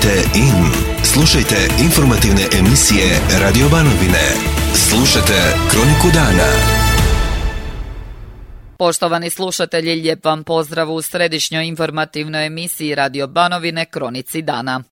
Tunite in. Slušajte informativne emisije Radio Banovine. Slušajte Kroniku dana. Poštovani slušatelji, lijep vam pozdrav u središnjoj informativnoj emisiji Radio Banovine Kronici dana.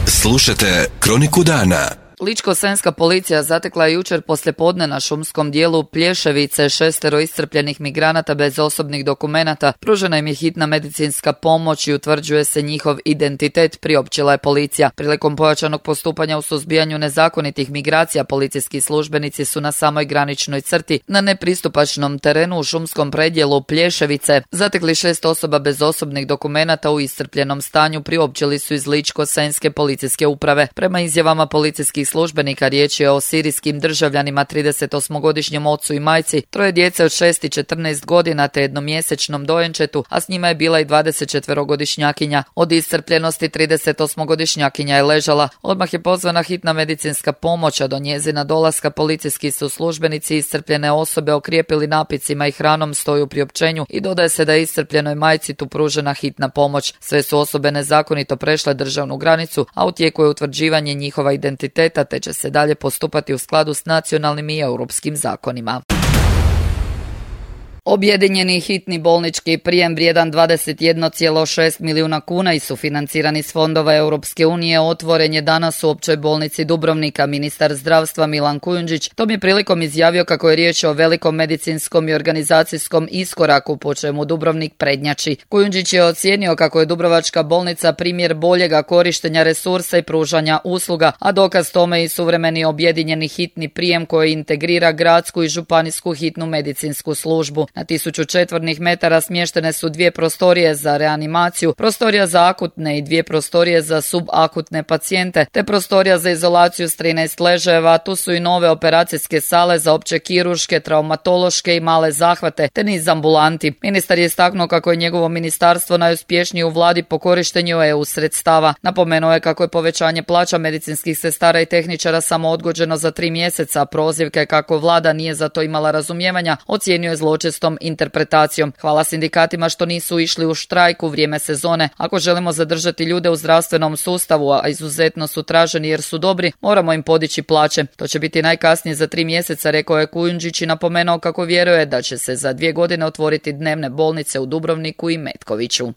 Slušajte Kroniku dana. Ličko-senjska policija zatekla je jučer poslijepodne na šumskom dijelu Plješevice 6 iscrpljenih migranata bez osobnih dokumenata. Pružena im je hitna medicinska pomoć i utvrđuje se njihov identitet, priopćila je policija. Prilikom pojačanog postupanja u suzbijanju nezakonitih migracija, policijski službenici su na samoj graničnoj crti na nepristupačnom terenu u šumskom predjelu Plješevice zatekli 6 osoba bez osobnih dokumenata u iscrpljenom stanju, priopćili su iz Ličko-senjske policijske uprave. Prema izjavama policijskih službenika riječ je o sirijskim državljanima, 38-godišnjem ocu i majci, 3 djece od 6 i 14 godina te jednomjesečnom dojenčetu, a s njima je bila i 24-godišnjakinja. Od iscrpljenosti 38-godišnjakinja je ležala. Odmah je pozvana hitna medicinska pomoć, a do njezina dolaska policijski su službenici iscrpljene osobe okrijepili napicima i hranom, stoji u priopćenju, i dodaje se da je iscrpljenoj majci tu pružena hitna pomoć. Sve su osobe nezakonito prešle državnu granicu, a u tijeku je utvrđivanje njihova identiteta, te će se dalje postupati u skladu s nacionalnim i europskim zakonima. Objedinjeni hitni bolnički prijem vrijedan 21,6 milijuna kuna i sufinancirani s fondova Europske unije otvoren je danas u Općoj bolnici Dubrovnika. Ministar zdravstva Milan Kujundžić tom je prilikom izjavio kako je riječ o velikom medicinskom i organizacijskom iskoraku po čemu Dubrovnik prednjači. Kujundžić je ocijenio kako je Dubrovačka bolnica primjer boljega korištenja resursa i pružanja usluga, a dokaz tome i suvremeni objedinjeni hitni prijem koji integrira gradsku i županijsku hitnu medicinsku službu. Na 1000 četvornih metara smještene su 2 prostorije za reanimaciju, prostorija za akutne i 2 prostorije za subakutne pacijente, te prostorija za izolaciju s 13 ležajeva. Tu su i nove operacijske sale za opće kirurške, traumatološke i male zahvate, te niz ambulanti. Ministar je istaknuo kako je njegovo ministarstvo najuspješnije u vladi po korištenju EU sredstava. Napomenuo je kako je povećanje plaća medicinskih sestara i tehničara samo odgođeno za 3 mjeseca. Prozivke kako vlada nije za to imala razumijevanja ocijenio je zločestom interpretacijom. Hvala sindikatima što nisu išli u štrajk u vrijeme sezone. Ako želimo zadržati ljude u zdravstvenom sustavu, a izuzetno su traženi jer su dobri, moramo im podići plaće. To će biti najkasnije za 3 mjeseca, rekao je Kujundžić i napomenuo kako vjeruje da će se za 2 godine otvoriti dnevne bolnice u Dubrovniku i Metkoviću.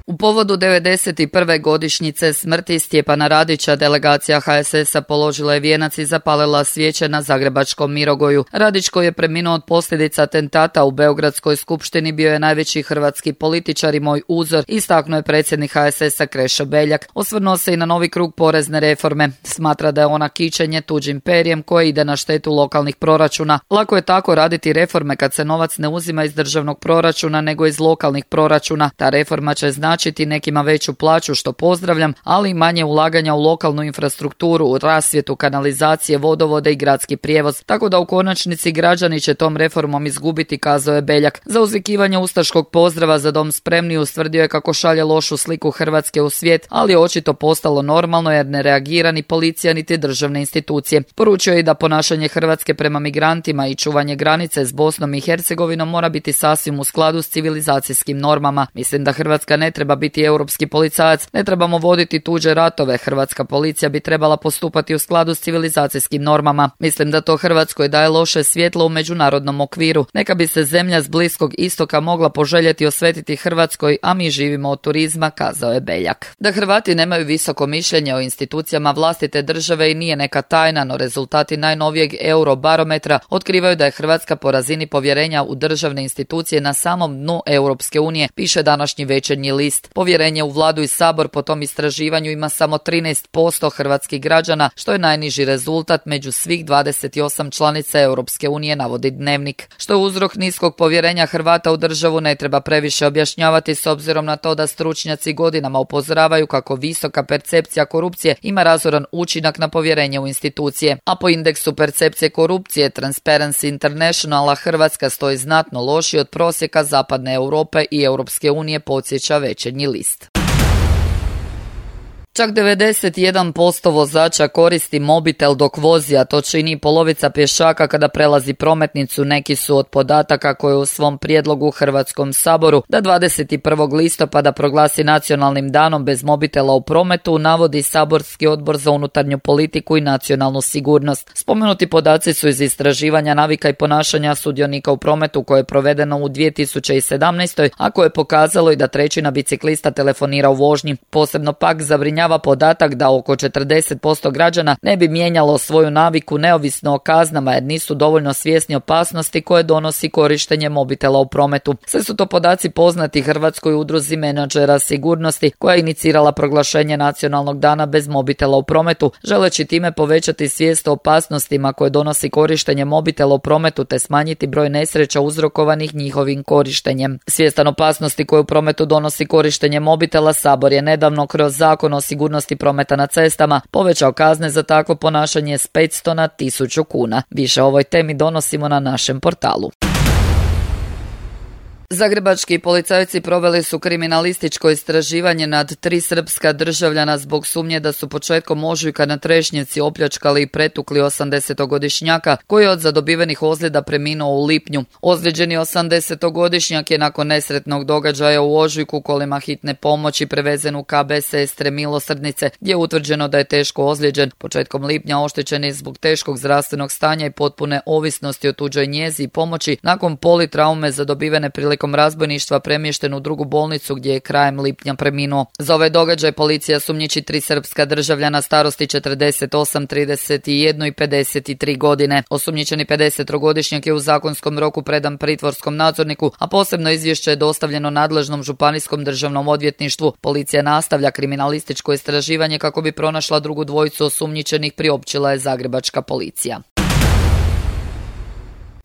U povodu 91. godišnjice smrti Stjepana Radića, delegacija HSS-a položila je vijenac i zapalila svijeće na zagrebačkom Mirogoju. Radić, koji je preminuo od posljedica atentata u Beogradskoj skupštini, bio je najveći hrvatski političar i moj uzor, istaknuo je predsjednik HSS-a Krešo Beljak. Osvrnuo se i na novi krug porezne reforme. Smatra da je ona kićenje tuđim perjem koje ide na štetu lokalnih proračuna. Lako je tako raditi reforme kad se novac ne uzima iz državnog proračuna nego iz lokalnih proračuna. Ta reforma će značiti nekima veću plaću, što pozdravljam, ali i manje ulaganja u lokalnu infrastrukturu, rasvjetu, kanalizacije, vodovode i gradski prijevoz, tako da u konačnici građani će tom reformom izgubiti, kazao je Beljak. Za uzvikivanje ustaškog pozdrava Za dom spremni ustvrdio je kako šalje lošu sliku Hrvatske u svijet, ali je očito postalo normalno jer ne reagira ni policija niti državne institucije. Poručio je i da ponašanje Hrvatske prema migrantima i čuvanje granice s Bosnom i Hercegovinom mora biti sasvim u skladu s civilizacijskim normama. Mislim da Hrvatska ne treba biti europski policajac, ne trebamo voditi tuđe ratove. Hrvatska policija bi trebala postupati u skladu s civilizacijskim normama. Mislim da to Hrvatskoj daje loše svjetlo u međunarodnom okviru. Neka bi se zemlja s Bliskog istoka mogla poželjeti osvetiti Hrvatskoj, a mi živimo od turizma, kazao je Beljak. Da Hrvati nemaju visoko mišljenje o institucijama vlastite države i nije neka tajna, no rezultati najnovijeg Eurobarometra otkrivaju da je Hrvatska po razini povjerenja u državne institucije na samom dnu Europske unije, piše današnji Večernji list. Povjerenje u vladu i sabor po tom istraživanju ima samo 13% hrvatskih građana, što je najniži rezultat među svih 28 članica Europske unije, navodi Dnevnik. Što je uzrok niskog povjerenja Hrvata u državu ne treba previše objašnjavati s obzirom na to da stručnjaci godinama upozoravaju kako visoka percepcija korupcije ima razoran učinak na povjerenje u institucije. A po indeksu percepcije korupcije Transparency Internationala Hrvatska stoji znatno lošije od prosjeka zapadne Europe i Europske unije, podsjeća Večernji list. Čak 91% vozača koristi mobitel dok vozi, a to čini polovica pješaka kada prelazi prometnicu. Neki su od podataka koje u svom prijedlogu Hrvatskom saboru da 21. listopada proglasi nacionalnim danom bez mobitela u prometu navodi Saborski odbor za unutarnju politiku i nacionalnu sigurnost. Spomenuti podaci su iz istraživanja navika i ponašanja sudionika u prometu koje je provedeno u 2017. a koje je pokazalo i da trećina biciklista telefonira u vožnji. Posebno pak zabrinjava podatak da oko 40% građana ne bi mijenjalo svoju naviku neovisno o kaznama jer nisu dovoljno svjesni opasnosti koje donosi korištenje mobitela u prometu. Sve su to podaci poznati Hrvatskoj udruzi menadžera sigurnosti koja je inicirala proglašenje nacionalnog dana bez mobitela u prometu, želeći time povećati svijest o opasnostima koje donosi korištenje mobitela u prometu te smanjiti broj nesreća uzrokovanih njihovim korištenjem. Svjestan opasnosti koje u prometu donosi korištenje mobitela, Sabor je nedavno kroz Zakon o sigurnosti prometa na cestama povećao kazne za takvo ponašanje s 500 na 1000 kuna. Više o ovoj temi donosimo na našem portalu. Zagrebački policajci proveli su kriminalističko istraživanje nad 3 srpska državljana zbog sumnje da su početkom ožujka na Trešnjevci opljačkali i pretukli 80-godišnjaka koji je od zadobivenih ozljeda preminuo u lipnju. Ozlijeđeni 80-godišnjak je nakon nesretnog događaja u ožujku kolima hitne pomoći prevezen u KB Sestre Milosrdnice gdje je utvrđeno da je teško ozlijeđen. Početkom lipnja oštećen je zbog teškog zdravstvenog stanja i potpune ovisnosti o tuđoj njezi i pomoći nakon politraume zadobivene prilikom razbojništva premješten u drugu bolnicu gdje je krajem lipnja preminuo. Za ovaj događaj policija sumnjiči 3 srpska državljana starosti 48, 31 i 53 godine. Osumnjičeni 53-godišnjak je u zakonskom roku predan pritvorskom nadzorniku, a posebno izvješće je dostavljeno nadležnom županijskom državnom odvjetništvu. Policija nastavlja kriminalističko istraživanje kako bi pronašla drugu dvojicu osumnjičenih, priopćila je zagrebačka policija.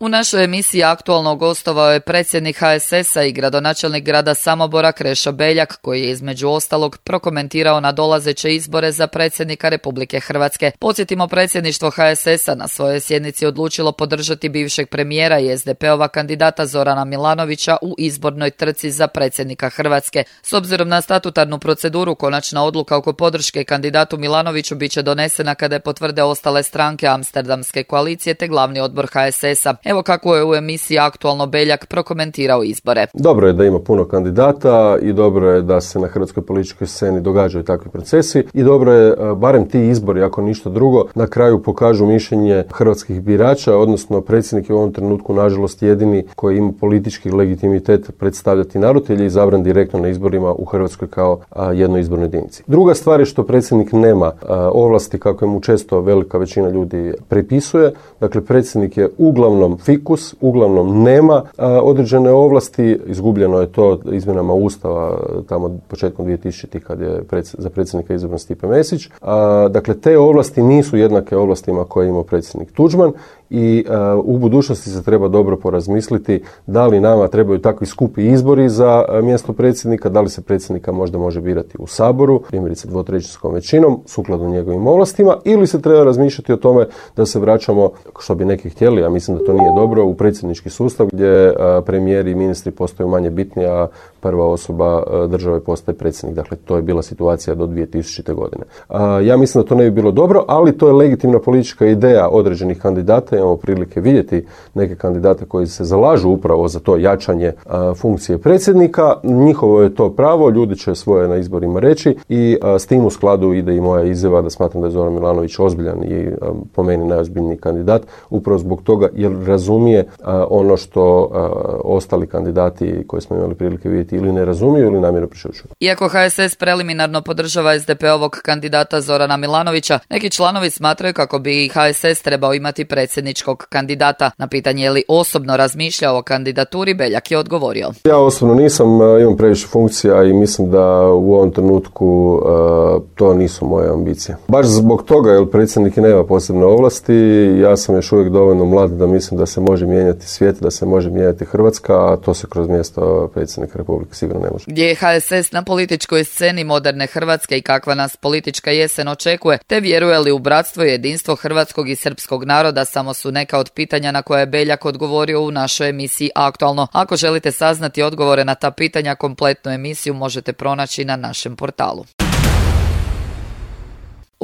U našoj emisiji aktualno gostovao je predsjednik HSS-a i gradonačelnik grada Samobora Krešo Beljak, koji je između ostalog prokomentirao nadolazeće izbore za predsjednika Republike Hrvatske. Podsjetimo, predsjedništvo HSS-a na svojoj sjednici odlučilo podržati bivšeg premijera i SDP-ova kandidata Zorana Milanovića u izbornoj trci za predsjednika Hrvatske. S obzirom na statutarnu proceduru, konačna odluka oko podrške kandidatu Milanoviću bit će donesena kada je potvrde ostale stranke Amsterdamske koalicije te glavni odbor HSS-a. Evo kako je u emisiji aktualno Beljak prokomentirao izbore. Dobro je da ima puno kandidata i dobro je da se na hrvatskoj političkoj sceni događaju takvi procesi i dobro je barem ti izbori, ako ništa drugo, na kraju pokažu mišljenje hrvatskih birača, odnosno predsjednik je u ovom trenutku nažalost jedini koji ima politički legitimitet predstavljati narod ili je izabran direktno na izborima u Hrvatskoj kao jednoj izbornoj jedinici. Druga stvar je što predsjednik nema ovlasti kako mu često velika većina ljudi prepisuje. Dakle, predsjednik je uglavnom fikus, uglavnom nema određene ovlasti. Izgubljeno je to izmjenama Ustava tamo početkom 2000 kad je za predsjednika izabran Stipe Mesić. Dakle, te ovlasti nisu jednake ovlastima koje je imao predsjednik Tuđman i u budućnosti se treba dobro porazmisliti da li nama trebaju takvi skupi izbori za mjesto predsjednika, da li se predsjednika možda može birati u Saboru, primjerice 2/3 većinom, sukladno njegovim ovlastima, ili se treba razmišljati o tome da se vraćamo, što bi neki htjeli, a mislim da to nije dobro, u predsjednički sustav gdje premijeri i ministri postaju manje bitni, a prva osoba države postaje predsjednik. Dakle, to je bila situacija do 2000. godine. Ja mislim da to ne bi bilo dobro, ali to je legitimna politička ideja određenih kandidata. Imamo prilike vidjeti neke kandidate koji se zalažu upravo za to jačanje funkcije predsjednika. Njihovo je to pravo, ljudi će svoje na izborima reći i s tim u skladu ide i moja izjava da smatram da je Zoran Milanović ozbiljan i po meni najozbiljniji kandidat, upravo zbog toga jer razumije ono što ostali kandidati koje smo imali prilike vidjeti ili ne razumiju ili namjerno prešućuju. Iako HSS preliminarno podržava SDP-ovog kandidata Zorana Milanovića, neki članovi smatraju kako bi HSS trebao imati predsjedničkog kandidata. Na pitanje je li osobno razmišljao o kandidaturi, Beljak je odgovorio. Ja osobno nisam, imam previše funkcija i mislim da u ovom trenutku to nisu moje ambicije. Baš zbog toga, jer predsjednik nema posebne ovlasti, ja sam još uvijek dovoljno mlad da mislim da se može mijenjati svijet, da se može mijenjati Hrvatska, a to se kroz mjesto predsjednika Republike sigurno ne može. Gdje je HSS na političkoj sceni moderne Hrvatske i kakva nas politička jesen očekuje, te vjeruje li u bratstvo i jedinstvo hrvatskog i srpskog naroda, samo su neka od pitanja na koje je Beljak odgovorio u našoj emisiji Aktualno. Ako želite saznati odgovore na ta pitanja, kompletnu emisiju možete pronaći na našem portalu.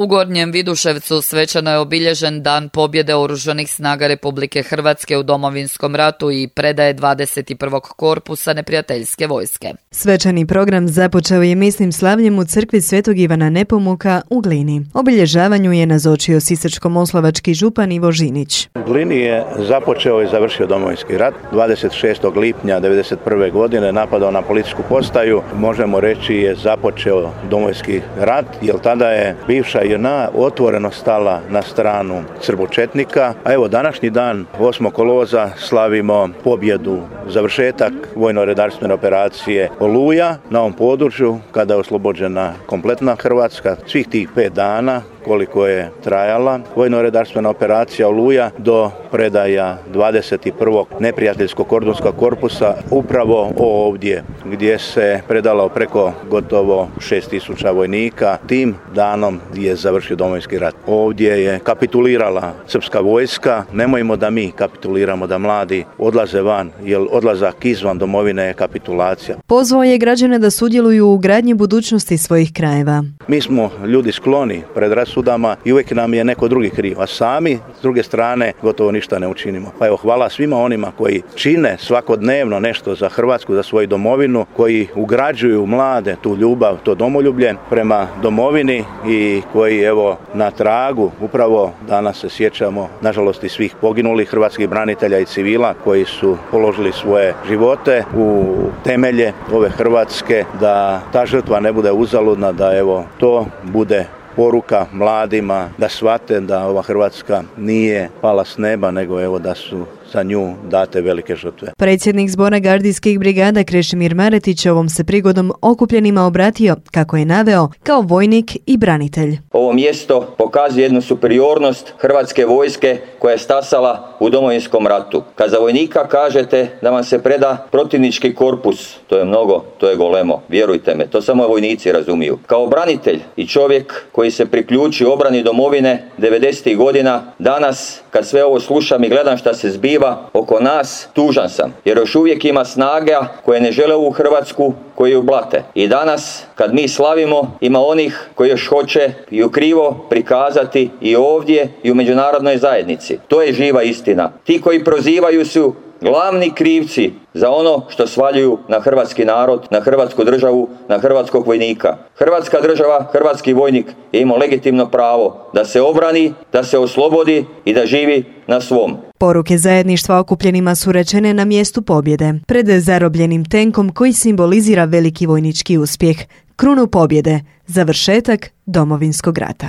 U Gornjem Viduševcu svečano je obilježen Dan pobjede Oružanih snaga Republike Hrvatske u Domovinskom ratu i predaje 21. korpusa neprijateljske vojske. Svečani program započeo je misnim slavljem u crkvi Svetog Ivana Nepomuka u Glini. Obilježavanju je nazočio sisačko-moslavački župan Ivo Žinić. U Glini je započeo i završio Domovinski rat. 26. lipnja 1991. godine napadao na policijsku postaju. Možemo reći je započeo Domovinski rat, jer tada je bivša JNA otvoreno stala na stranu srbočetnika. A evo današnji dan, 8. kolovoza, slavimo pobjedu, završetak vojno-redarstvene operacije Oluja na ovom području, kada je oslobođena kompletna Hrvatska. Svih tih 5 dana koliko je trajala vojno-redarstvena operacija Oluja do predaja 21. neprijateljskog kordonskog korpusa upravo ovdje, gdje se predalo preko gotovo 6.000 vojnika. Tim danom je završio Domovinski rat. Ovdje je kapitulirala srpska vojska. Nemojmo da mi kapituliramo, da mladi odlaze van, jer odlazak izvan domovine je kapitulacija. Pozvao je građane da sudjeluju u gradnji budućnosti svojih krajeva. Mi smo ljudi skloni predrasudama i uvijek nam je neko drugi kriv, a sami s druge strane gotovo ništa ne učinimo. Pa evo, hvala svima onima koji čine svakodnevno nešto za Hrvatsku, za svoju domovinu, koji ugrađuju mlade tu ljubav, to domoljublje prema domovini i koji evo na tragu upravo danas se sjećamo nažalost i svih poginulih hrvatskih branitelja i civila koji su položili svoje živote u temelje ove Hrvatske, da ta žrtva ne bude uzaludna, da evo to bude poruka mladima da shvate da ova Hrvatska nije pala s neba, nego evo da su za nju date velike žrtve. Predsjednik Zbora gardijskih brigada Krešimir Maretić ovom se prigodom okupljenima obratio, kako je naveo, kao vojnik i branitelj. Ovo mjesto pokazuje jednu superiornost Hrvatske vojske koja je stasala u Domovinskom ratu. Kad za vojnika kažete da vam se preda protivnički korpus, to je mnogo, to je golemo, vjerujte me, to samo vojnici razumiju. Kao branitelj i čovjek koji se priključi obrani domovine 90. godina, danas kad sve ovo slušam i gledam šta se zbiva oko nas, tužan sam, jer još uvijek ima snaga koje ne žele ovu Hrvatsku, koji ju blate. I danas, kad mi slavimo, ima onih koji još hoće ju krivo prikazati i ovdje i u međunarodnoj zajednici. To je živa istina. Ti koji prozivaju su glavni krivci za ono što svaljuju na hrvatski narod, na hrvatsku državu, na hrvatskog vojnika. Hrvatska država, hrvatski vojnik je imao legitimno pravo da se obrani, da se oslobodi i da živi na svom. Poruke zajedništva okupljenima su rečene na mjestu pobjede, pred zarobljenim tenkom koji simbolizira veliki vojnički uspjeh, krunu pobjede, završetak Domovinskog rata.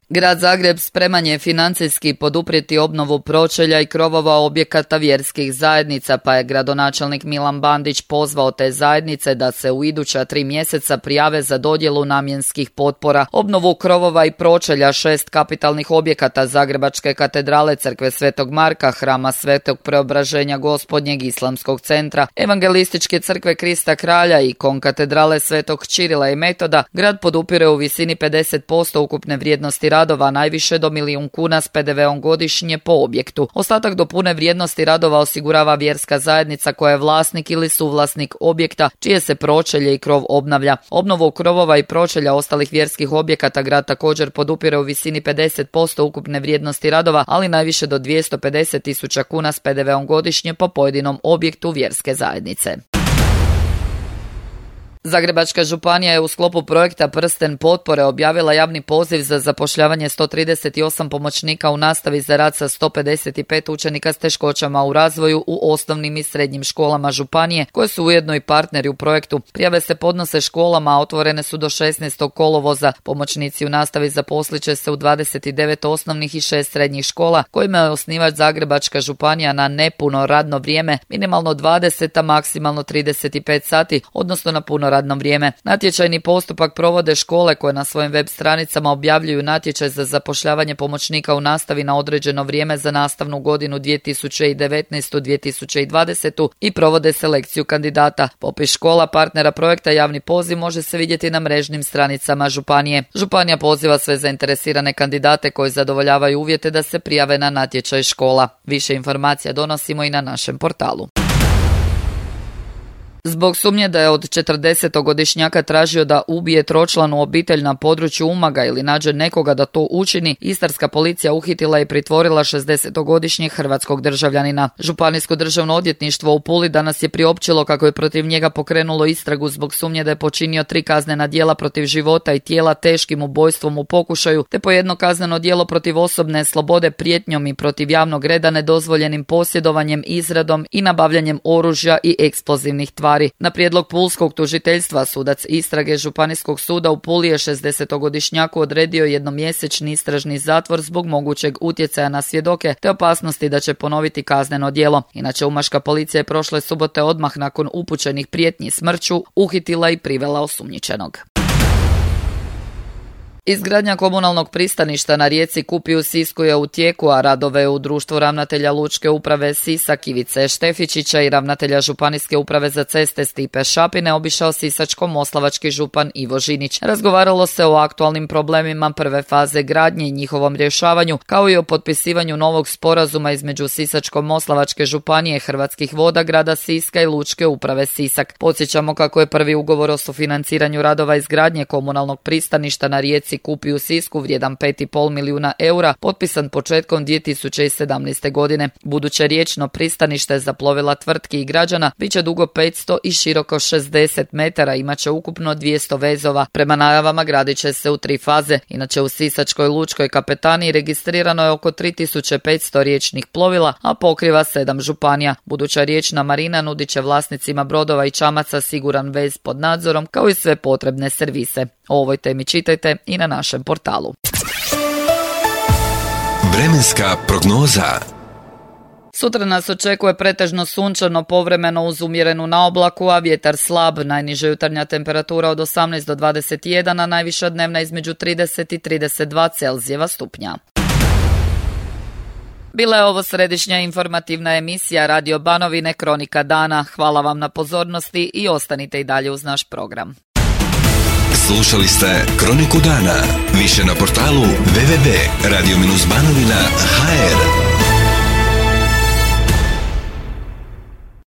Grad Zagreb spreman je financijski poduprijeti obnovu pročelja i krovova objekata vjerskih zajednica, pa je gradonačelnik Milan Bandić pozvao te zajednice da se u iduća 3 mjeseca prijave za dodjelu namjenskih potpora. Obnovu krovova i pročelja 6 kapitalnih objekata Zagrebačke katedrale, crkve Svetog Marka, hrama Svetog Preobraženja Gospodnjeg, Islamskog centra, Evangelističke crkve Krista Kralja i konkatedrale Svetog Čirila i Metoda, grad podupire u visini 50% ukupne vrijednosti radova, najviše do 1 milijun kuna s PDV-om godišnje po objektu. Ostatak do pune vrijednosti radova osigurava vjerska zajednica koja je vlasnik ili suvlasnik objekta čije se pročelje i krov obnavlja. Obnovu krovova i pročelja ostalih vjerskih objekata grad također podupire u visini 50% ukupne vrijednosti radova, ali najviše do 250.000 kuna s PDV-om godišnje po pojedinom objektu vjerske zajednice. Zagrebačka županija je u sklopu projekta Prsten potpore objavila javni poziv za zapošljavanje 138 pomoćnika u nastavi za rad sa 155 učenika s teškoćama u razvoju u osnovnim i srednjim školama županije, koje su ujedno i partneri u projektu. Prijave se podnose školama, a otvorene su do 16. kolovoza. Pomoćnici u nastavi zaposlit će se u 29 osnovnih i 6 srednjih škola, kojima je osnivač Zagrebačka županija na nepuno radno vrijeme, minimalno 20, a maksimalno 35 sati, odnosno na puno radno vrijeme. Natječajni postupak provode škole koje na svojim web stranicama objavljuju natječaj za zapošljavanje pomoćnika u nastavi na određeno vrijeme za nastavnu godinu 2019-2020 i provode selekciju kandidata. Popis škola partnera projekta javni poziv može se vidjeti na mrežnim stranicama županije. Županija poziva sve zainteresirane kandidate koji zadovoljavaju uvjete da se prijave na natječaj škola. Više informacija donosimo i na našem portalu. Zbog sumnje da je od 40-godišnjaka tražio da ubije tročlanu obitelj na području Umaga ili nađe nekoga da to učini, istarska policija uhitila i pritvorila 60-godišnjeg hrvatskog državljanina. Županijsko državno odvjetništvo u Puli danas je priopćilo kako je protiv njega pokrenulo istragu zbog sumnje da je počinio 3 kaznena djela protiv života i tijela teškim ubojstvom u pokušaju, te po jedno kazneno djelo protiv osobne slobode prijetnjom i protiv javnog reda nedozvoljenim posjedovanjem, izradom i nabavljanjem oružja i eksplozivnih tvari. Na prijedlog pulskog tužiteljstva sudac istrage Županijskog suda u Puli je 60-godišnjaku odredio jednomjesečni istražni zatvor zbog mogućeg utjecaja na svjedoke te opasnosti da će ponoviti kazneno djelo. Inače, umaška policija je prošle subote odmah nakon upućenih prijetnji smrću uhitila i privela osumnjičenog. Izgradnja komunalnog pristaništa na rijeci Kupi u Sisku je u tijeku, a radove u društvu ravnatelja Lučke uprave Sisak Ivice Štefičića i ravnatelja Županijske uprave za ceste Stipe Šapine obišao sisačko-moslavački župan Ivo Žinić. Razgovaralo se o aktualnim problemima prve faze gradnje i njihovom rješavanju, kao i o potpisivanju novog sporazuma između Sisačko-moslavačke županije, Hrvatskih voda, grada Siska i Lučke uprave Sisak. Podsjećamo kako je prvi ugovor o sufinanciranju radova izgradnje komunalnog pristaništa na rijeci Kupi u Sisku vrijedan 5,5 milijuna eura potpisan početkom 2017. godine. Buduće riječno pristanište za plovila tvrtki i građana bit će dugo 500 i široko 60 metara, imat će ukupno 200 vezova. Prema najavama gradit će se u 3 faze. Inače, u Sisačkoj lučkoj kapetaniji registrirano je oko 3500 riječnih plovila, a pokriva 7 županija. Buduća riječna marina nudit će vlasnicima brodova i čamaca siguran vez pod nadzorom, kao i sve potrebne servise. O ovoj temi čitajte i na našem portalu. Vremenska prognoza. Sutra nas očekuje pretežno sunčano, povremeno uz umjerenu naoblaku, a vjetar slab. Najniža jutarnja temperatura od 18 do 21, a najviša dnevna između 30 i 32 Celzijeva stupnja. Bila je ovo središnja informativna emisija Radio Banovine Kronika dana. Hvala vam na pozornosti i ostanite i dalje uz naš program. Slušali ste Kroniku dana. Više na portalu www.radio-banovina.hr.